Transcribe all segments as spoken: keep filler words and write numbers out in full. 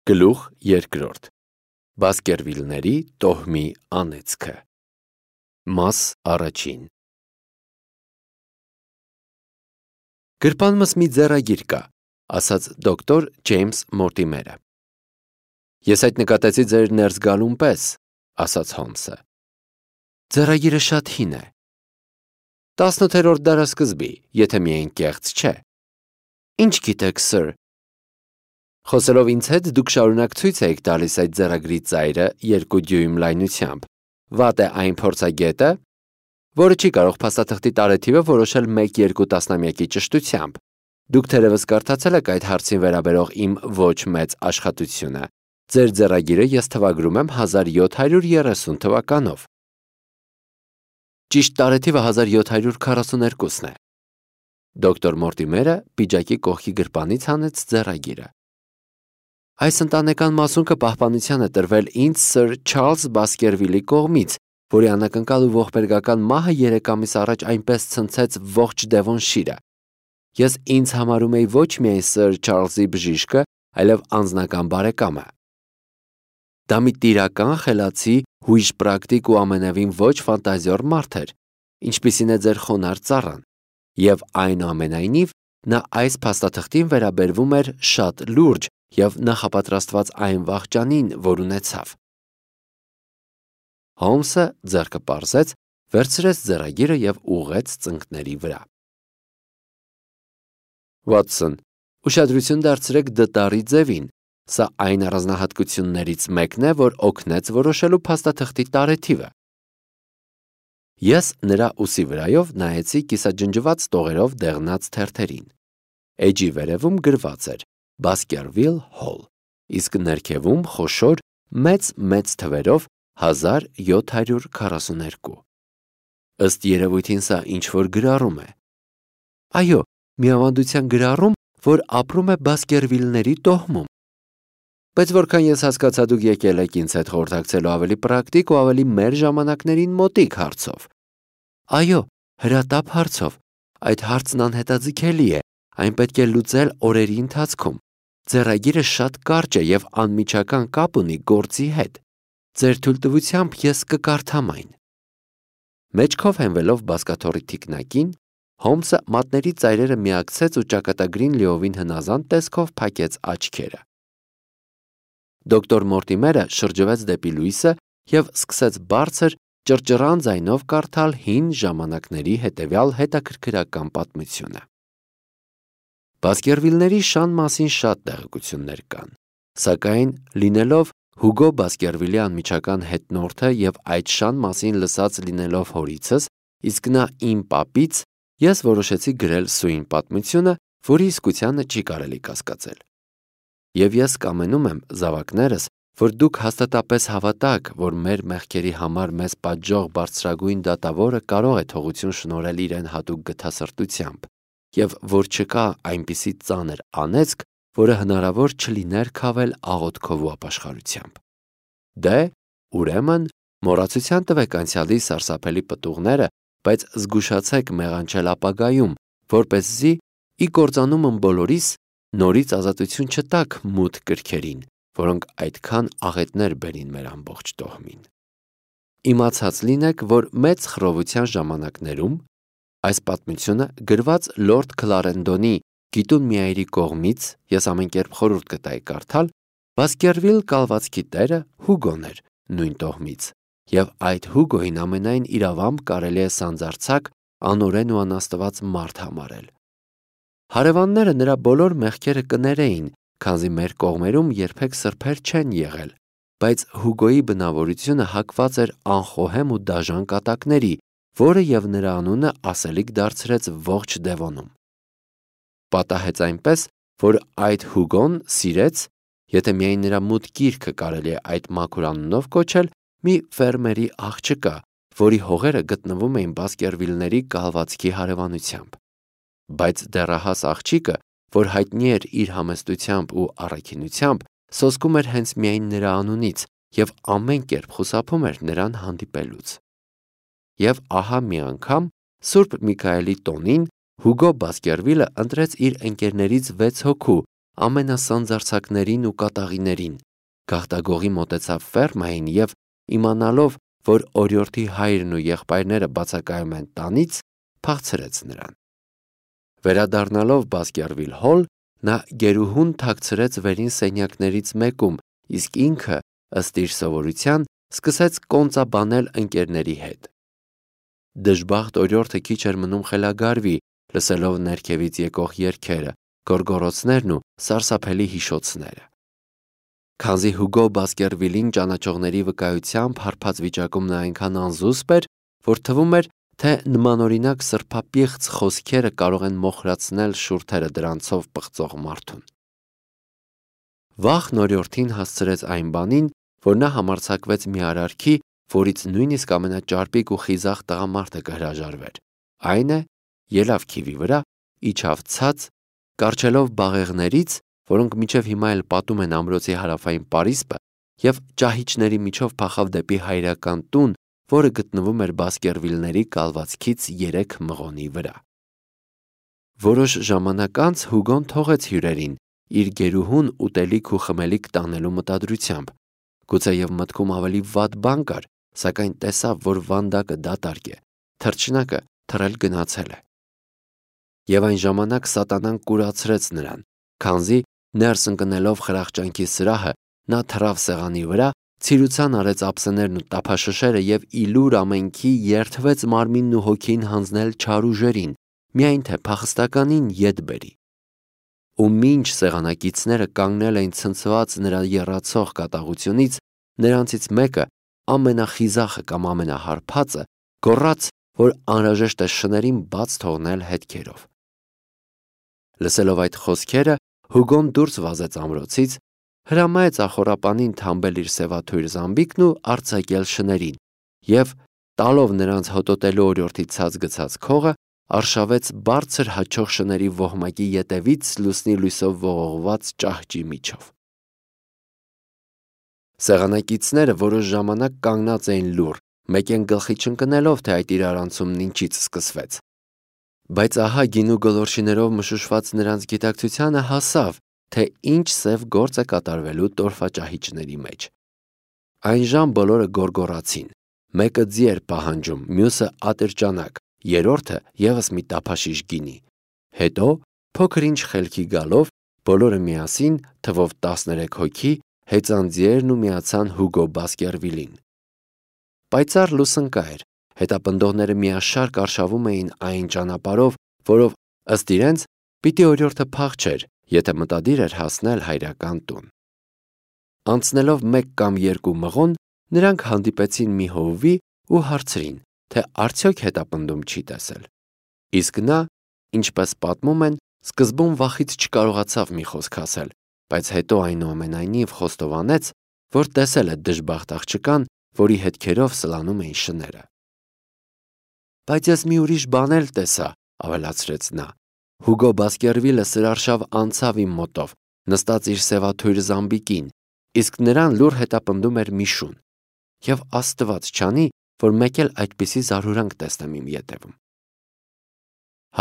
Գլուխ երկրորդ. Բասկերվիլների տոհմի անեծքը։ Մաս առաջին։ Գրպանմս մի ձեռագիր կա, ասաց դոկտոր Ջեյմս Մորտիմերը։ Ես այդ նկատեցի ձեր ներս գալուն պես, ասաց Հոլմսը։ Ձեռագիրը շատ հին է։ տասնութերորդ դարասկզբի, եթե միայն կեղծ չէ։ Ինչ գիտեք, սըր։ Խոսելով ինձ հետ դուք շարունակ ցույց եք տալիս այդ ձեռագրի ծայրը երկու դյույմ լայնությամբ։ Վատ է այն փորձագետը, որը չի կարող փաստաթղթի տարեթիվը որոշել մեկ-երկու տասնամյակի ճշտությամբ։ Դուք թերևս կարդացել եք այդ հարցին վերաբերող իմ ոչ մեծ աշխատությունը։ Ձեր ձեռագիրը ես թվագրում եմ հազար յոթ հարյուր երեսուն թվականով։ Ճիշտ տարեթիվը հազար յոթ հարյուր քառասուներկուսն է։ Դոկտոր Մորտիմերը պիջակի կողքի գրպանից հանեց ձեռագիրը։ Այս ընտանեկան մասունքը պահպանության է տրվել ինձ սըր Չարլզ Բասկերվիլի կողմից, որի անակնկալ ու ողբերգական մահը երեք ամիս առաջ այնպես ցնցեց ողջ Դևոնշիրը։ Ես ինձ համարում էի ոչ միայն սըր Չարլզի բժիշկը, այլև անձնական բարեկամը։ Դա մի տիրական, խելացի, հույժ պրակտիկ ու ամենևին ոչ ֆանտազիոր մարդ էր, ինչպիսին է ձեր խոնարհ ծառան, եւ այնուամենայնիվ նա այս փաստաթղթին վերաբերվում էր շատ լուրջ և նախապատրաստված այն վախճանին, որ ունեցավ։ Հոլմսը ձեռքը պարզեց, վերցրեց ձեռագիրը և ուղղեց ծնկների վրա։ Վատսոն, ուշադրություն դարձրեք դտարի ձևին, սա այն առանձնահատկություններից մեկն է, որ օգնեց որոշելու փաստաթղթի տարեթիվը։ Ես նրա ուսի վրայով նայեցի կիսաջնջված տողերով դեղնած թերթերին։ Էջի վերևում գրված էր Baskerville Hall, իսկ ներքևում խոշոր մեծ-մեծ թվերով հազար յոթ հարյուր քառասուներկու։ Ըստ երևույթին սա ինչ-որ գրառում է։ Այո, մի ավանդության գրառում, որ ապրում է Բասկերվիլների տոհմում։ Բայց որքան ես հասկացա, դուք եկել եք ինձ հետ խորհրդակցելու ավելի պրակտիկ ու ավելի մեր ժամանակներին մոտիկ հարցով։ Այո, հրատապ հարցով։ Այդ հարցն անհետաձգելի է, այն պետք է լուծել օրերի ընթացքում։ Ձեռագիրը շատ կարճ է և անմիջական կապ ունի գործի հետ։ Ձեր թույլտվությամբ ես կկարդամ այն։ Մեջքով հենվելով բազկաթոռի թիկնակին, Հոլմսը մատների ծայրերը միակցեց ու ճակատագրին լիովին հնազանդ տեսքով փակեց աչքերը։ Դոկտոր Մորտիմերը շրջվեց դեպի լույսը և սկսեց բարձր, ճռճռան ձայնով կարդալ հին ժամանակների հետևյալ հետաքրքրական պատմությունը։ Բասկերվիլների շան մասին շատ տեղեկություններ կան, սակայն լինելով Հուգո Բասկերվիլի անմիջական հետնորդը և այդ շան մասին լսած լինելով հորիցս, իսկ նա իմ պապից, ես որոշեցի գրել սույն պատմությունը, որի իսկությանը չի կարելի կասկածել։ Եվ ես կամենում եմ, զավակներս, որ դուք հաստատապես հավատաք, որ մեր մեղքերի համար մեզ պատժող բարձրագույն դատավորը կարող է թողություն շնորհել իրեն հատուկ գթասրտությամբ, և որ չկա այնպիսի ծանր անեծք, որը հնարավոր չլիներ քավել աղոթքով ու ապաշխարությամբ։ Դե, ուրեմն, մոռացության տվեք անցյալի սարսափելի պտուղները, բայց զգուշացեք մեղանչել ապագայում, որպեսզի ի կործանումն բոլորիս նորից ազատություն չտաք մութ կրքերին, որոնք այդքան աղետներ բերին մեր ամբողջ տոհմին։ Իմացած լինեք, որ մեծ խռովության ժամանակներում այս պատմությունը գրված Լորդ Քլարենդոնի Գիտուն միայրի կողմից, ես ամենքերպ խորհուրդ կտայի կարդալ, Բասկերվիլ կալվածքի տերը Հուգոն էր նույն տոհմից, և այդ Հուգոյին ամենայն իրավամբ կարելի է սանձարձակ, անօրեն ու անաստված մարդ համարել։ Հարևանները նրա բոլոր մեղքերը կներեին, քանզի մեր կողմերում երբեք սրբեր չեն եղել, բայց Հուգոյի բնավորությունը հակված էր անխոհեմ ու դաժան կատակների, որը և նրա անունը ասելիք դարձրեց ողջ Դևոնում։ Պատահեց այնպես, որ այդ Հուգոն սիրեց, եթե միայն նրա մութ գիրքը կարելի է այդ մաքուր անունով կոչել, մի ֆերմերի աղջկա, որի հողերը գտնվում էին Բասկերվիլների կալվածքի հարևանությամբ։ Բայց դեռահաս աղջիկը, որ հայտնի էր իր համեստությամբ ու առաքինությամբ, սոսկում էր հենց միայն նրա անունից և ամեն կերպ խուսափում էր նրան հանդիպելուց։ Եվ ահա մի անգամ Սուրբ Միքայելի տոնին Հուգո Բասկերվիլը ընտրեց իր ընկերներից վեց հոգու, ամենասանձարձակներին ու կատաղիներին, գաղտագողի մոտեցավ ֆերմային և իմանալով, որ օրիորդի հայրն ու եղբայրները բացակայում են տանից, փախցրեց նրան։ Վերադառնալով Բասկերվիլ Հոլ, նա գերուհուն թաքցրեց վերին սենյակներից մեկում, իսկ ինքը, ըստ իր սովորության, սկսեց կոնծաբանել ընկերների հետ։ Դժբախտ օրիորդը քիչ էր մնում խելագարվի, լսելով ներքևից եկող երգերը, գոռգոռոցներն ու սարսափելի հիշոցները։ Քանզի Հուգո Բասկերվիլին ճանաչողների վկայությամբ հարբած վիճակում նա այնքան անզուսպ էր, որ թվում էր, թե նմանօրինակ սրբապիղծ խոսքերը կարող են մոխրացնել շուրթերը դրանցով պղծող մարդուն։ Վաղն օրիորդին հասցրեց այն բանին, որ նա համարձակվեց մի արարքի, որից նույնիսկ ամենաճարպիկ ու խիզախ տղամարդը կհրաժարվեր, այն է, ելավ քիվի վրա, իջավ ցած, կառչելով բաղեղներից, որոնք մինչև հիմա էլ պատում են ամրոցի հարավային պարիսպը, և ճահիճների միջով փախավ դեպի հայրական տուն, որը գտնվում էր Բասկերվիլների կալվածքից երեք մղոնի վրա։ Որոշ ժամանակ անց Հուգոն թողեց հյուրերին, իր գերուհուն ուտելիք ու խմելիք տանելու մտադրությամբ, գուցեև մտքում ավելի վատ բան կար, սակայն տեսավ, որ վանդակը դատարկ է, թռչնակը թռել գնացել է։ Եվ այն ժամանակ սատանան կուրացրեց նրան, քանզի ներս ընկնելով խրախճանքի սրահը, նա թռավ սեղանի վրա, ցիրուցան արեց ափսեներն ու տափաշշերը և իլուր ամենքի երդվեց մարմինն ու հոգին հանձնել չար ուժերին, միայն թե փախստականին ետ բերի։ Ու մինչ սեղանակիցները կանգնել էին ցնցված նրա եռացող կատաղությունից, նրանցից մեկը, ամենախիզախը կամ ամենահարբածը, գոռաց, որ անհրաժեշտ է շներին բաց թողնել հետքերով։ Լսելով այդ խոսքերը, Հուգոն դուրս վազեց ամրոցից, հրամայեց ախոռապանին թամբել իր սևաթույր զամբիկն ու արձակել շներին, և, տալով նրանց հոտոտելու օրիորդի ցած գցած քողը, արշավեց բարձր հաչող շների ոհմակի ետևից լուսնի լույսով ողողված ճահճի միջով։ Սեղանակիցները որոշ ժամանակ կանգնած էին լուռ, մեկեն գլխի չընկնելով, թե այդ իրարանցումն ինչից սկսվեց։ Բայց ահա գինու գոլորշիներով մշուշված նրանց գիտակցությանը հասավ, թե ինչ սև գործ է կատարվելու տորֆաճահիճների մեջ։ Այնժամ բոլորը գոռգոռացին, մեկը ձի էր պահանջում, մյուսը ատրճանակ, երրորդը ևս մի տափաշիշ գինի։ Հետո, փոքր-ինչ խելքի գալով, բոլորը միասին, թվով տասներեք հոգի, հեծան ձիերն ու միացան Հուգո Բասկերվիլին։ Պայծառ լուսնկա էր, հետապնդողները միաշարք արշավում էին այն ճանապարհով, որով, ըստ իրենց, պիտի օրիորդը փախչեր, եթե մտադիր էր հասնել հայրական տուն։ Անցնելով մեկ կամ երկու մղոն, նրանք հանդիպեցին մի հովվի ու հարցրին, թե արդյոք հետապնդում չի տեսել։ Իսկ նա, ինչպես պատմում են, սկզբում վախից չկարողացավ մի խոսք ասել, բայց հետո այնուամենայնիվ խոստովանեց, որ տեսել է դժբախտ աղջկան, որի հետքերով սլանում էին շները։ Բայց ես մի ուրիշ բան էլ տեսա, ավելացրեց նա։ Հուգո Բասկերվիլը սրարշավ անցավ իմ մոտով, նստած իր սևաթույր զամբիկին, իսկ նրան լուռ հետապնդում էր մի շուն։ Եվ Աստված չանի, որ մեկ էլ այդպիսի զարհուրանք տեսնեմ իմ ետևում։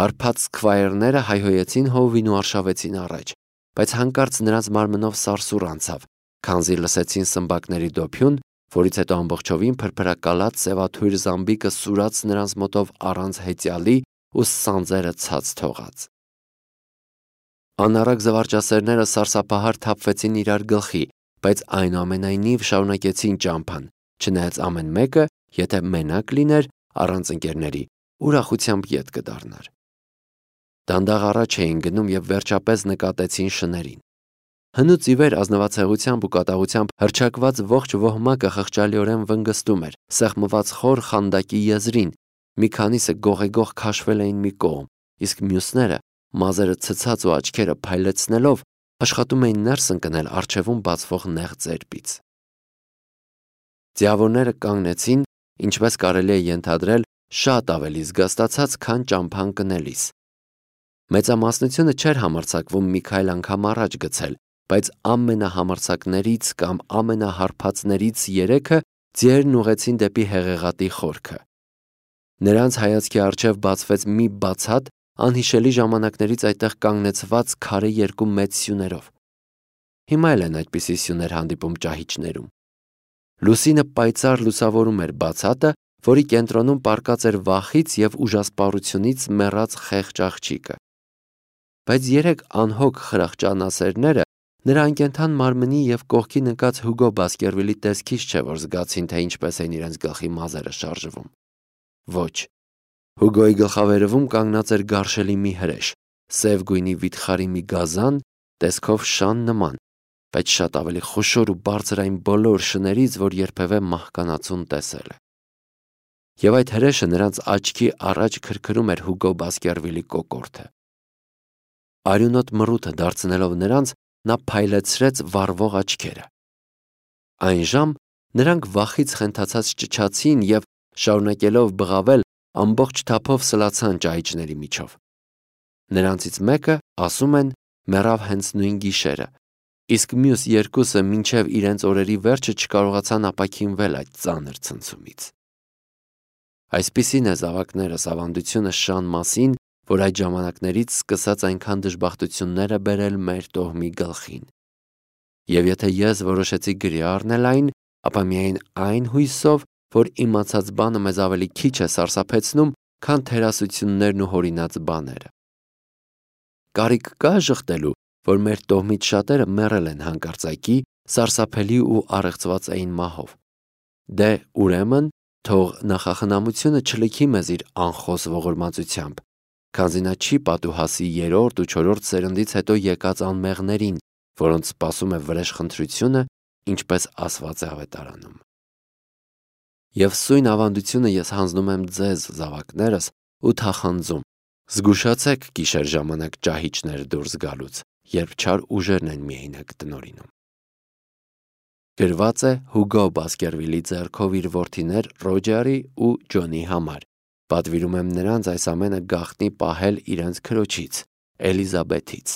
Հարբած սկվայրները հայհոյեցին հովին ու արշավեցին առաջ, բայց հանկարծ նրանց մարմնով սարսուռ անցավ, քանզի լսեցին սմբակների դոփյուն, որից հետո ամբողջովին փրփրակալած սևաթույր զամբիկը սուրաց նրանց մոտով առանց հեծյալի ու սանձերը ցած թողած։ Անառակ զվարճասերները սարսափահար թափվեցին իրար գլխի, բայց այնուամենայնիվ շարունակեցին ճամփան, չնայած ամեն մեկը, եթե մենակ լիներ, առանց ընկերների, ուրախությամբ ետ կդառնար։ Դանդաղ առաջ էին գնում և վերջապես նկատեցին շներին։ Հնուց ի վեր ազնվացեղությամբ ու կատաղությամբ հռչակված ողջ ոհմակը խղճալիորեն վնգստում էր, սեղմված խոր խանդակի եզրին, մի քանիսը գողեգող քաշվել էին մի կողմ, իսկ մյուսները, մազերը ցցած ու աչքերը փայլեցնելով, աշխատում էին ներս ընկնել առջևում բացվող նեղ ծերպից։ Ձիավորները կանգնեցին, ինչպես կարելի է ենթադրել, շատ ավելի զգաստացած, քան ճամփան կնելիս։ Մեծամասնությունը չէր համարձակվում մի քայլ անգամ առաջ գցել, բայց ամենահամարձակներից կամ ամենահարբածներից երեքը ձիերն ուղղեցին դեպի հեղեղատի խորքը։ Նրանց հայացքի առջև բացվեց մի բացատ, անհիշելի ժամանակներից այդտեղ կանգնեցված քարե երկու մեծ սյուներով։ Հիմա էլ են այդպիսի սյուներ հանդիպում ճահիճներում։ Լուսինը պայծառ լուսավորում էր բացատը, որի կենտրոնում պառկած էր վախից և ուժասպառությունից մեռած խեղճ աղջիկը։ Բայց երեք անհոգ խրախճանասերները նրա անկենդան մարմնի և կողքին ընկած Հուգո Բասկերվիլի տեսքից չէ, որ զգացին, թե ինչպես էին իրենց գլխի մազերը շարժվում։ Ոչ, Հուգոյի գլխավերևում կանգնած էր գարշելի մի հրեշ, սև գույնի վիթխարի մի գազան, տեսքով շան նման, բայց շատ ավելի խոշոր ու բարձր այն բոլոր շներից, որ երբևէ մահկանացուն տեսել է։ Եվ այդ հրեշը նրանց աչքի առաջ քրքրում էր Հուգո Բասկերվիլի կոկորդը։ Արյունոտ մռութը դարձնելով նրանց, նա փայլեցրեց վառվող աչքերը։ Այն ժամ նրանք վախից խենթացած ճչացին և, շարունակելով բղավել, ամբողջ թափով սլացան ճահիճների միջով։ Նրանցից մեկը, ասում են, մեռավ հենց նույն գիշերը, իսկ մյուս երկուսը մինչև իրենց օրերի վերջը չկարողացան ապաքինվել այդ ծանր ցնցումից։ Այսպիսին է, զավակներս, ավանդությունը շան մասին, որ այդ ժամանակներից սկսած այնքան դժբախտություններ է բերել մեր տոհմի գլխին։ Եվ եթե ես որոշեցի գրի առնել այն, ապա միայն այն հույսով, որ իմացած բանը մեզ ավելի քիչ է սարսափեցնում, քան թերասություններն ու հորինած բաները։ Կարիք կա ժխտելու, որ մեր տոհմից շատերը մեռել են հանկարծակի, սարսափելի ու առեղծված էին մահով։ Դե, ուրեմն, թող նախախնամությունը չլքի մեզ իր անխոս ողորմածությամբ, քանզի նա չի պատուհասի երրորդ ու չորրորդ սերնդից հետո եկած անմեղներին, որոնց սպասում է վրեժխնդրությունը, ինչպես ասված է Ավետարանում։ Եվ սույն ավանդությունը ես հանձնում եմ ձեզ, զավակներս, ու թախանձում. զգուշացեք գիշեր ժամանակ ճահիճներ դուրս գալուց, երբ չար ուժերն են միայնակ տնօրինում։ Գրված է Հուգո Բասկերվիլի ձեռքով իր որդիներ Ռոջերի ու Ջոնի համար։ Պատվիրում եմ նրանց այս ամենը գաղտնի պահել իրենց քրոջից, Էլիզաբեթից։